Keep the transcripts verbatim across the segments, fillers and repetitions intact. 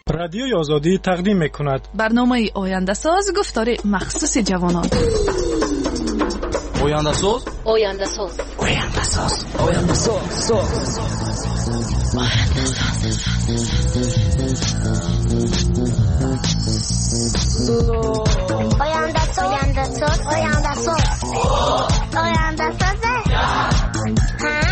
Радиои Озодӣ тақдим мекунад барномаи ояндасоз, гуфтори махсуси ҷавонон. Ояндасоз, ояндасоз, ояндасоз, ояндасоз, соз. Ояндасоз, ояндасоз, ояндасоз, ояндасоз. Ҳа?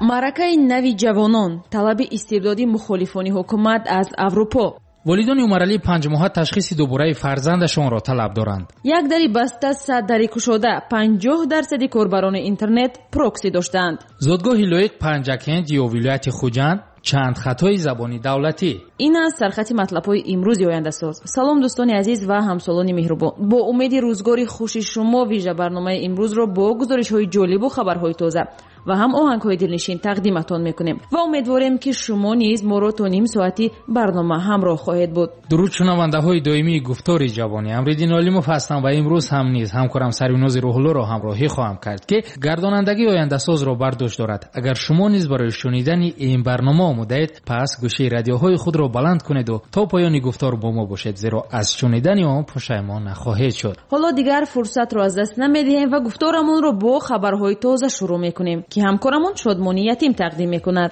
Маъракаи нави ҷавонон, талаби истибдоди мухолифони ҳукумат аз Аврупо. Волидони Умаралӣ панҷмоҳа ташхиси дубораи фарзандашонро талаб доранд. Як дари баста, сад дари кушода, панҷоҳ дарсади корбарони интернет прокси доштаанд. Зодгоҳи лоиқ Панҷакент ё вилояти Хуҷанд, чанд хатои забони давлатӣ. Ин аст сархати матлабҳои имрӯзи ояндасоз. Салом дӯстони азиз ва ҳамсолони меҳрубон. Бо умеди рӯзгори хуши шумо вижа барномаи имрӯзро бо гузоришҳои ҷолибу хабарҳои тоза ва ҳам оҳангҳои дилнишин тақдиматон мекунем ва умедворем, ки шумо низ моро то ним соати барнома ҳамроҳ хоҳед буд. Дуруд шунавандаҳои доимии гуфтори ҷавонӣ. Амриддин Олимов ҳастам ва имрӯз ҳам низ ҳамкорам Сарвинози Рӯҳуллоро ҳамроҳӣ хоҳам кард, ки гардонандагии ояндасозро бар дӯш дорад. Агар шумо низ барои шунидани ин барнома омодаед, пас гӯшаи радиоҳои худро баланд кунеду то поёни гуфтор бо мо бошед, зеро аз шунидани он пушаймон нахоҳед шуд. Ҳоло дигар фурсатро аз даст намедиҳем ва гуфторамонро бо хабарҳои тоза шурӯъ мекунем, ки ҳамкорамон Шодмони Ятим тақдим мекунад.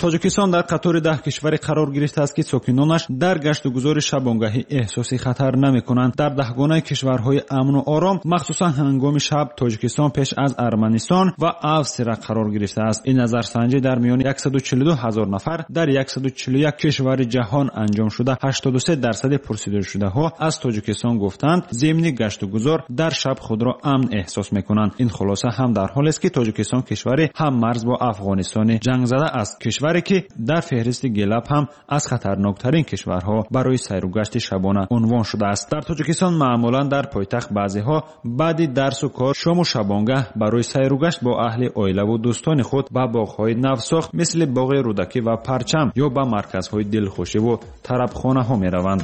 Тоҷикистон дар қатори даҳ кишваре қарор гирифтааст, ки сокинонаш дар гашту гузори шабонгаҳӣ эҳсоси хатар намекунанд. Дар даҳгонаи кишварҳои амну ором, махсусан ҳангоми шаб, Тоҷикистон пеш аз Арманистон ва Австрия қарор гирифтааст. Ин назарсанҷӣ дар миёни яксаду чилу ду ҳазор нафар дар яксаду чилу як кишвари ҷаҳон анҷом шуда, ҳаштоду се дарсади пурсидашудаҳо аз Тоҷикистон гуфтанд, зимни гашту гузор дар шаб худро амн эҳсос мекунанд. Ин хулоса ҳам дар ҳолест, ки Тоҷикистон кишвари ҳаммарз бо Афғонистони ҷангзада аст, кишваре ки дар феҳристи Гелап ҳам аз хатарноктарин кишварҳо барои сайру гашти шабона унвон шудааст. Дар Тоҷикистон маъмулан дар пойтахт баъзеҳо баъди дарсу кор шому шабонгаҳ барои сайру гашт бо аҳли оилаву дӯстони худ ба боғҳои навсохт мисли боғи Рӯдакӣ ва Парчам ё ба марказҳои дилхушиву тарабхонаҳо мераванд.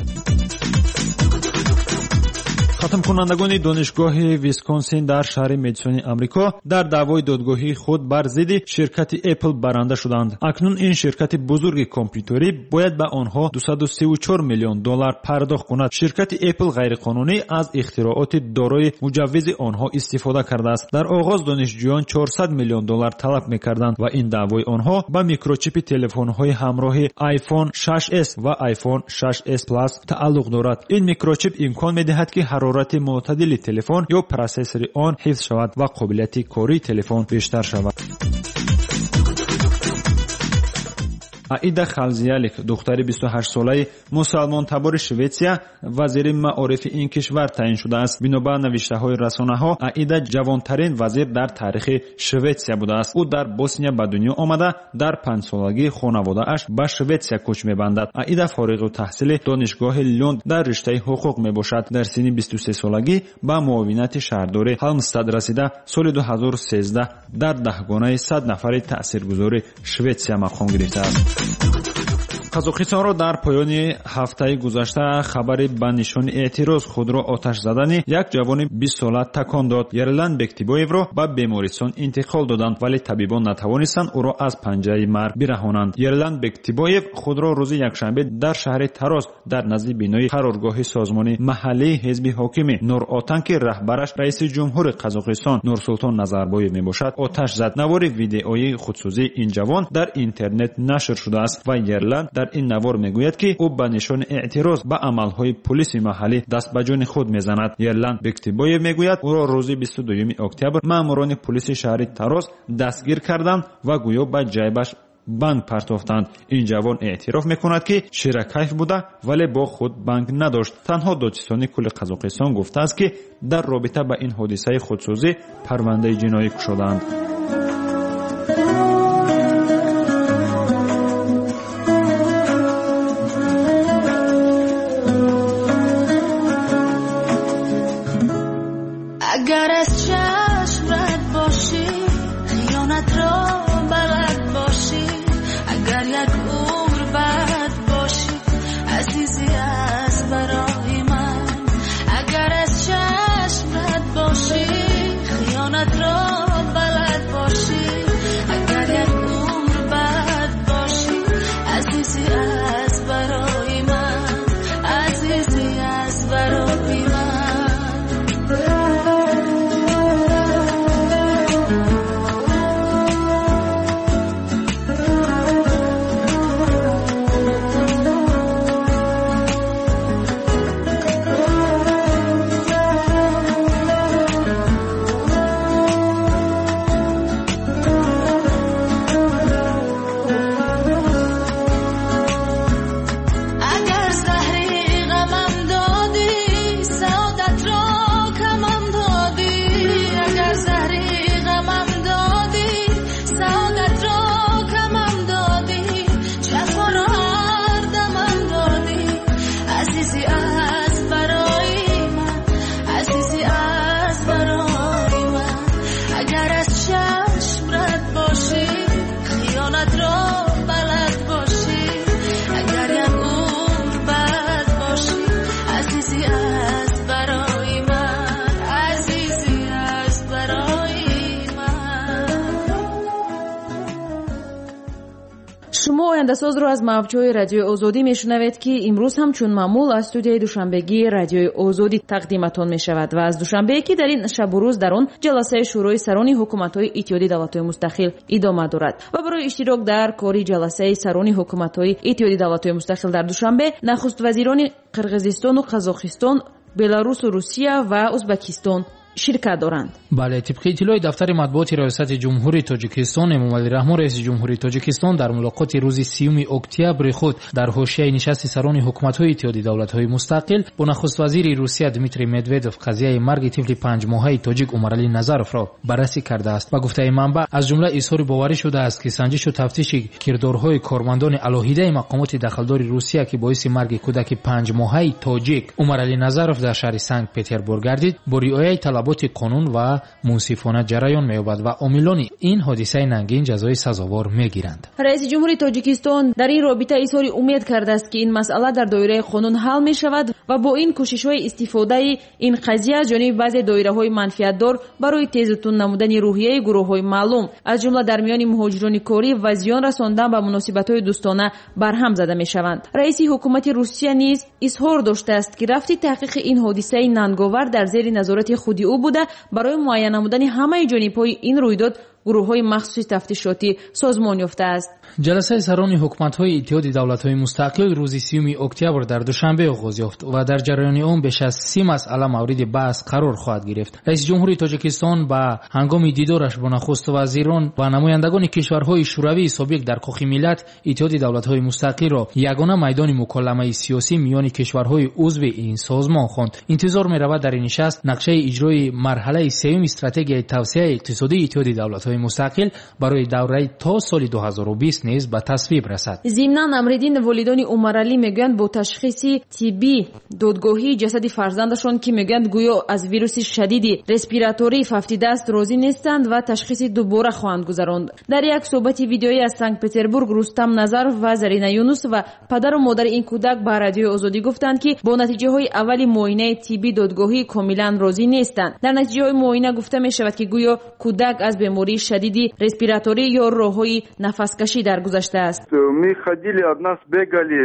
Хатмкунандагони донишгоҳи Висконсин дар шаҳри Медисони Амрико дар даъвои додгоҳии худ бар зидди ширкати Apple баранда шуданд. Акнун ин ширкати бузурги компютерӣ бояд ба онҳо дусаду сиву чор миллион доллар пардохт кунад. Ширкати Apple ғайриқонунӣ аз ихтирооти дорои муҷаввизи онҳо истифода кардааст. Дар оғоз донишҷӯён чорсад миллион доллар талаб мекарданд ва ин даъвои онҳо ба микрочипи телефонҳои ҳамроҳи iPhone шаш S ва iPhone шаш S Plus тааллуқ дорад. Ин микрочип имкон медиҳад, ки ҳарорати мӯътадили телефон ё процессори он ҳифз шавад ва қобилияти кории телефон бештар шавад. Аида Халзиялик, духтари бисту ҳаштсолаи мусалмонтабори Шветсия, вазири маорифи ин кишвар таъин шудааст. Бино ба навиштаҳои расонаҳо, Аида ҷавонтарин вазир дар таърихи Шветсия будааст. Ӯ дар Босния ба дунё омада, дар панҷсолагии хонаводааш ба Шветсия кӯч мебандад. Аида фориғу таҳсили донишгоҳи Люнд дар риштаи ҳуқуқ мебошад. Дар синни бисту сесолагӣ ба муовинати шаҳрдори Ҳалмстад расида, соли ду ҳазору сездаҳ дар даҳгонаи сад нафари таъсиргузори Шветсия мақом гирифтааст. Қазоқистонро дар поёни ҳафтаи гузашта хабари ба нишони эътироз худро оташ задани як ҷавони бистсола такон дод. Ерлан Бектибоевро ба бемористон интиқол доданд, вале табибон натавонистанд ӯро аз панҷаи марг бираҳонанд. Ерлан Бектибоев худро рӯзи якшанбе дар шаҳри Тароз дар назди бинои қароргоҳи созмони маҳаллии ҳизби ҳокими Нур-Отан, ки раҳбараш раиси ҷумҳури Қазоқистон Нурсултон Назарбоев мебошад, оташ зад. Навори видеоии худсӯзии ин ҷавон дар интернет нашр шудааст ва Ерлан дар ин навор мегӯяд, ки ӯ ба нишони эътироз ба амалҳои пулиси маҳаллӣ даст ба ҷони худ мезанад. Ерлан Бектибоев мегӯяд, ӯро рӯзи бисту дуюми октябр маъмурони пулиси шаҳри Тароз дастгир карданд ва гӯё ба ҷайбаш банк партофтанд. Ин ҷавон эътироф мекунад, ки ширакайф буда, вале бо худ банк надошт. Танҳо додситони кулли Қазоқистон гуфтааст, ки дар робита ба ин ҳодисаи худсӯзӣ парвандаи ҷиноӣ кушодаанд. Азизӣ аст барои ман, азизӣ аст барои ман. Агар аз чашм рад бошӣ, хиёнатро балад бошӣ, агар як умр бад бошӣ, азизӣ аст барои ман, азизӣ аст барои ман. Шумо ояндасозро аз мавҷҳои Радиои Озодӣ мешунавед, ки имрӯз ҳам чун маъмул аз студияи душанбегии Радиои Озодӣ тақдиматон мешавад ва аз Душанбе, ки дар ин шабу рӯз дар он ҷаласаи Шӯрои сарони ҳукуматҳои Иттиҳоди давлатҳои мустақил идома дорад ва барои иштирок дар кори ҷаласаи сарони ҳукуматҳои Иттиҳоди давлатҳои мустақил дар Душанбе нахуствазирони Қирғизистону Қазоқистон, Беларусу Русия ва Узбакистон ширкат доранд. Бале, тибқи иттилои дафтари матбуоти Раёсати Ҷумҳурии Тоҷикистон, Эмомалӣ Раҳмон, раиси Ҷумҳурии Тоҷикистон, дар мулоқоти рӯзи сиюми октябри худ дар ҳошияи нишасти сарони ҳукуматҳои Иттиҳоди давлатҳои мустақил бо нахуствазири Русия Дмитрий Медведев қазияи марги тифли панҷмоҳаи тоҷик Умаралӣ Назаровро баррасӣ кардааст. Ба гуфтаи манбаъ, аз ҷумла изҳори боварӣ шудааст, ки санҷишу тафтиши кирдорҳои кормандони алоҳидаи мақомоти дахлдори Русия, ки боиси марги кӯдаки панҷмоҳаи тоҷик Умаралӣ Назаров дар шаҳри Санкт Петербург гардид, бо риояи талаботи қонун ва мунсифона ҷараён меёбад ва омилони ин ҳодисаи нангин ҷазои сазовор мегиранд. Раиси Ҷумҳури Тоҷикистон дар ин робита изҳори умед кардааст, ки ин масъала дар доираи қонун ҳал мешавад ва бо ин кӯшишҳои истифодаи ин қазия аз ҷониби баъзе доираҳои манфиатдор барои тезутун намудани рӯҳияи гурӯҳҳои маълум, аз ҷумла дар миёни муҳоҷирони корӣ ва зиён расондан ба муносибатҳои дӯстона барҳам зада мешаванд. Раиси ҳукумати Русия низ изҳор доштааст, ки рафти таҳқиқи ин ҳодисаи нанговар дар зери назорати худи ӯ буда, барои муайян намудани ҳамаи ҷонибҳои ин рӯйдод гурӯҳҳои махсуси тафтишотӣ созмон ёфтааст. Ҷаласаи сарони ҳукуматҳои Иттиҳоди давлатҳои мустақил рӯзи сиюми октябр дар Душанбе оғоз ёфт ва дар ҷараёни он беш аз си масъала мавриди баҳс қарор хоҳад гирифт. Раиси Ҷумҳури Тоҷикистон ба ҳангоми дидораш бо нахуствазирон ва намояндагони кишварҳои шӯравии собиқ дар Кохи Миллат Иттиҳоди давлатҳои мустақилро ягона майдони муколамаи сиёсӣ миёни кишварҳои узви ин созмон хонд. Интизор меравад дар ин нишаст нақшаи иҷрои марҳалаи сеюми стратегияи тавсеаи иқтисодии Иттиҳоди давлатҳои мустақил барои давраи то соли ду ҳазору бист низ ба тасвиб расад. Зимнан Амриддин, волидони Умаралӣ мегӯянд бо ташхиси тиббӣ додгоҳии ҷасади фарзандашон, ки мегӯянд гӯё аз вируси шадиди респираторӣ фавтидааст, розӣ нестанд ва ташхиси дубора хоҳанд гузаронд. Дар як суҳбати видеоӣ аз Санкт Петербург Рустам Назаров ва Зарина Юнусова, падару модари ин кӯдак, ба Радиои Озодӣ гуфтанд, ки бо натиҷаҳои аввали муоинаи тиббӣ додгоҳӣ комилан розӣ нестанд. Дар натиҷаҳои муоина гуфта мешавад, ки гӯё кӯдак аз бемории шадиди респираторӣ ё роҳҳои нафаскашӣ даргузаштааст. Мы ходили, от нас бегали,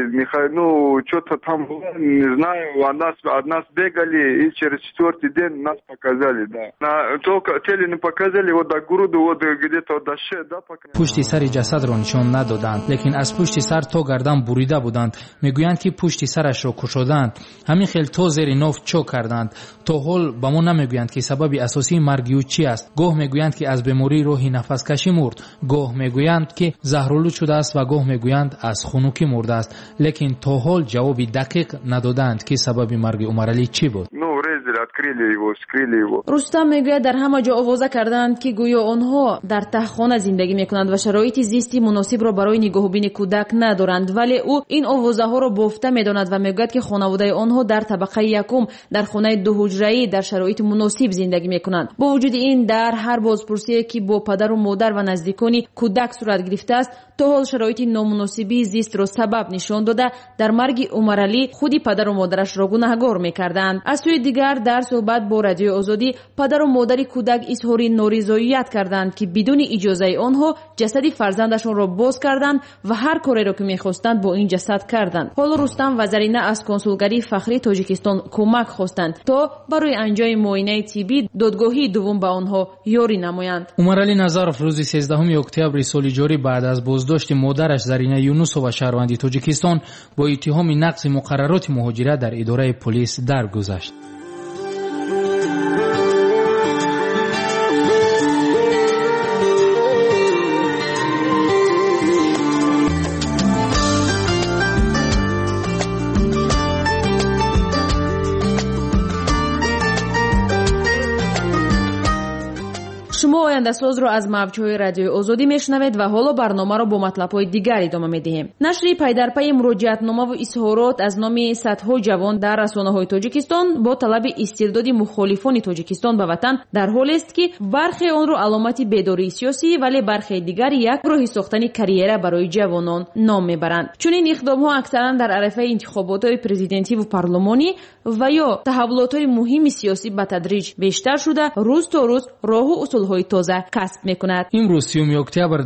ну, что-то там было, не знаю, от нас, от нас бегали, и через четвертый день нас показали, да. На, только теле не показали, вот до груди, вот где-то до шеи, да, пока. Пушти сари ҷасадро нишон надоданд, лекин аз пушти сар то гардан бурида буданд. Мегӯянд, ки пушти сарашро кушоданд. Ҳамин хел то зери ноф чок карданд. То ҳол ба мо намегӯянд, ки сабаби асосии марги ӯ чи аст. Гоҳ мегӯянд, ки аз бемории роҳи нафаскашӣ мурд, гоҳ мегӯянд, ки заҳролуд шудааст ва гоҳ мегӯянд аз хунукӣ мурдааст. Лекин то ҳол ҷавоби дақиқ надодаанд, ки сабаби марги Умаралӣ чӣ буд. Открыли его, вскрыли его. Рустам мегӯяд, дар ҳама ҷо овоза карданд, ки гӯё онҳо дар таҳхона зиндагӣ мекунанд ва шароити зисти муносибро барои нигоҳубини кӯдак надоранд. Вале ӯ ин овозаҳоро бофта медонад ва мегӯяд, ки хонаводаи онҳо дар табақаи якум дар хонаи дуҳуҷраӣ дар шароити муносиб зиндагӣ мекунанд. Бо вуҷуди ин, дар ҳар бозпурсие, ки бо падару модар ва наздикони кӯдак сурат гирифтааст, то ҳол шароити номуносибии зистро сабаб нишон дода, дар марги Умаралӣ худи падару модарашро гунаҳгор мекарданд. Аз сӯи дигар, дар суҳбат бо Радиои Озодӣ падару модари кӯдак изҳори норизоият карданд, ки бидуни иҷозаи онҳо ҷасади фарзандашонро боз карданд ва ҳар кореро, ки мехостанд, бо ин ҷасад карданд. Ҳоло Рустам ва Зарина аз консулгарии фахрии Тоҷикистон кӯмак хостанд, то барои анҷоми муоинаи тиббӣ додгоҳии дуввум ба онҳо ёрӣ намоянд. Умаралӣ Назаров рӯзи сездаҳуми октябри соли ҷорӣ баъд аз боздошти модараш Зарина Юнусова, шаҳрванди Тоҷикистон, бо иттиҳоми нақзи муқаррароти муҳоҷират дар идораи полис даргузашт. Шумо Ояндасозро аз мавҷҳои Радиои Озодӣ мешунавед ва ҳоло барномаро бо матлабҳои дигар идома медиҳем. Нашри пайдарпайи муроҷиатномаву изҳорот аз номи садҳо ҷавон дар расонаҳои Тоҷикистон бо талаби истирдоди мухолифони Тоҷикистон ба ватан дар ҳолест, ки бархе онро аломати бедории сиёсӣ, вале бархе дигар як роҳи сохтани карьера барои ҷавонон ном мебаранд. Чунин иқдомҳо аксаран дар арафаи интихоботҳои президентиву парлумонӣ ва ё таҳаввулотҳои муҳими сиёсӣ ба тадриҷ бештар шуда, рӯз то рӯз роҳу усулҳои тоза касб мекунад. Имрӯз сиюми октябр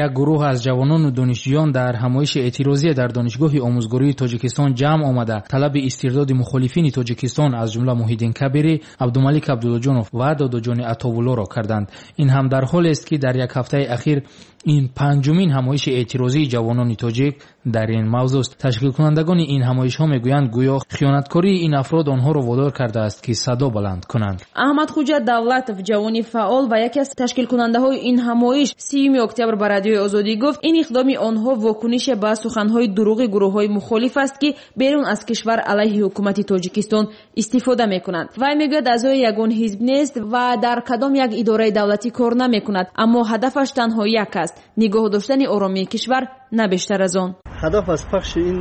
як гурӯҳ аз ҷавонону донишҷӯён дар ҳамоиши эътирозия дар Донишгоҳи омӯзгории Тоҷикистон ҷамъ омада, талаби истирдоди мухолифини Тоҷикистон аз ҷумла Муҳиддин Кабирӣ, Абдумалик Абдуллоҷонов ва Додоҷони Атовуллоро карданд. Ин ҳам дар ҳолест, ки дар як ҳафтаи ахир ин панҷумин ҳамоиши эътирозии ҷавонони тоҷик дар ин мавзӯст. Ташкилкунандагони ин ҳамоишҳо мегӯянд, гӯё хиёнаткории ин афрод онҳоро водор кардааст, ки садо баланд кунанд. Аҳмадхуҷа Давлатов, ҷавони фаъол ва яке аз ташкилкунандаҳои ин ҳамоиш, сиюми октябр ба Радиои Озодӣ гуфт, ин иқдоми онҳо вокунише ба суханҳои дурӯғи гурӯҳҳои мухолиф аст, ки берун аз кишвар алайҳи ҳукумати Тоҷикистон истифода мекунанд. Вай мегӯяд, аъзои ягон ҳизб нест ва дар кадом як идораи давлатӣ кор намекунад, аммо ҳадафаш танҳо як аст: нигоҳ доштани оромии кишвар, на бештар аз он. Ҳадаф аз пахши ин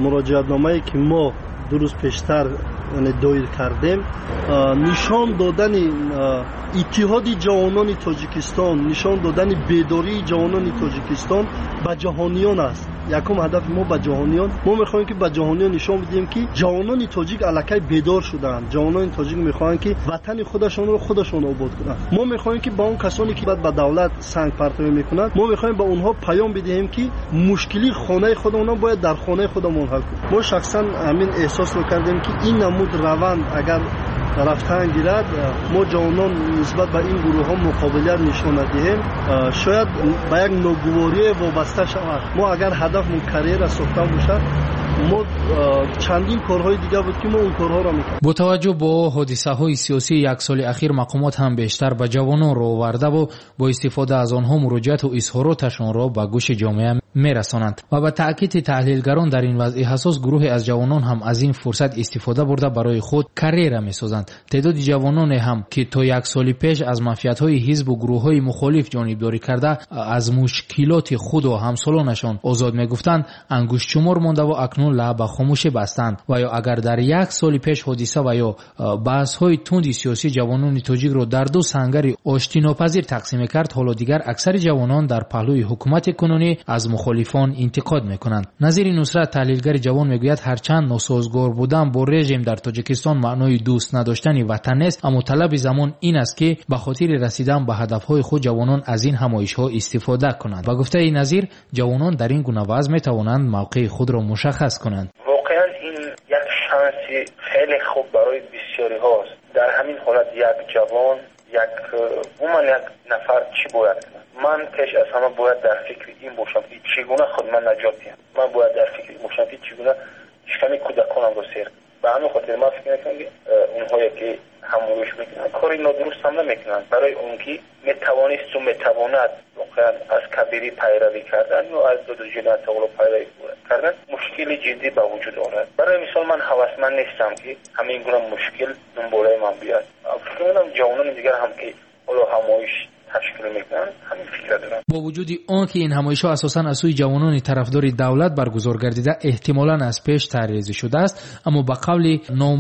муроҷиатномае, ки мо ду рӯз пештар доир кардем, нишон додани иттиҳоди ҷавонони Тоҷикистон, нишон додани бедории ҷавонони Тоҷикистон ба ҷаҳониён аст. Якум ҳадафи мо ба ҷаҳониён. Мо мехоҳем, ки ба ҷаҳониён нишон бидиҳем, ки ҷавонони тоҷик аллакай бедор шудаанд. Ҷавонони тоҷик мехоҳанд, ки ватани худашонро худашон обод кунанд. Мо мехоҳем, ки ба он касоне, ки ба давлат сангпартоӣ мекунанд, мо мехоҳем ба онҳо паём бидиҳем, ки мушкили хонаи худамон бояд дар хонаи худамон ҳал кунем. Мо шахсан ҳамин эҳсосро кардем, ки ин намуд раванд агар рафтан гирад, мо ҷавонон нисбат ба ин гурӯҳҳо муқобилият нишон надиҳем, шояд ба як ногуворие вобаста шавад. Мо агар ҳадафмон карьера сохтан бошад, мо чандин корҳои дигар буд, ки мо он корҳоро мекардем. Бо таваҷҷӯҳ бо ҳодисаҳои сиёсии як соли ахир, мақомот ҳам бештар ба ҷавонон ро овардаву бо истифода аз онҳо муроҷиату изҳороташонро ба гӯши ҷомеа мерасонанд. Ва ба таъкиди таҳлилгарон, дар ин вазъи ҳассос гурӯҳе аз ҷавонон ҳам аз ин фурсат истифода бурда барои худ карьера месозанд. Теъдоди ҷавононе ҳам, ки то як соли пеш аз манфиатҳои ҳизбу гурӯҳҳои мухолиф ҷонибдорӣ карда, аз мушкилоти худу ҳамсолонашон озод мегуфтанд, ангуштшумор мондаву акнун лаб ба хомӯшӣ бастанд. Ва ё агар дар як соли пеш ҳодиса ва ё баҳсҳои тунди сиёсӣ ҷавонони тоҷикро дар ду сангари оштинопазир тақсим мекард, ҳоло дигар аксари ҷавонон дар паҳлӯи ҳукумати кунунӣ аз мухолифон интиқод мекунанд. Назири Нусрат, таҳлилгари ҷавон, мегӯяд, ҳарчанд носозгор будан бо режим дар Тоҷикистон маънои дӯст надоштани ватан нест, аммо талаби замон ин аст, ки ба хотири расидан ба ҳадафҳои худ ҷавонон аз ин ҳамоишҳо истифода кунанд. Ба гуфтаи Назир, ҷавонон дар ин гуна вазъ метавонанд мавқеи худро мушаххас кунанд. Воқеан ин як шанси хеле хуб барои бисёриҳост. Дар ҳамин ҳолат як ҷавон, як умуман як нафар чӣ бояд кунад? Ман пеш аз ҳама бояд дар фикри ин бошам, ки чӣ гуна худ ман наҷот диҳам. Ман бояд дар фикри ин бошам, ки чӣ гуна шиками кӯдаконамро сер. Ба ҳамин хотир ман фикр мекунам, ки онҳое ки ҳамоиш мекунанд, кори нодуруст ҳам намекунанд, барои он ки метавонисту метавонад воқеан аз Кабирӣ пайравӣ кардан ё аз Додоҷони Атоулло пайравӣ кардан мушкили ҷиддӣ ба вуҷуд орад. Барои мисол, ман ҳавасманд нестам, ки ҳамин гуна мушкил дунболаи ман биёяд. Фикр мекунам ҷавонони дигар ҳам, ки ҳоло ҳамоиш ташкил мекунанд, ҳамин фикр доранд. Бо вуҷуди он ки ин ҳамоишҳо асосан аз сӯи ҷавонони тарафдори давлат баргузор гардида, эҳтимолан аз пеш тарҳрезӣ шудааст, аммо ба қавли ном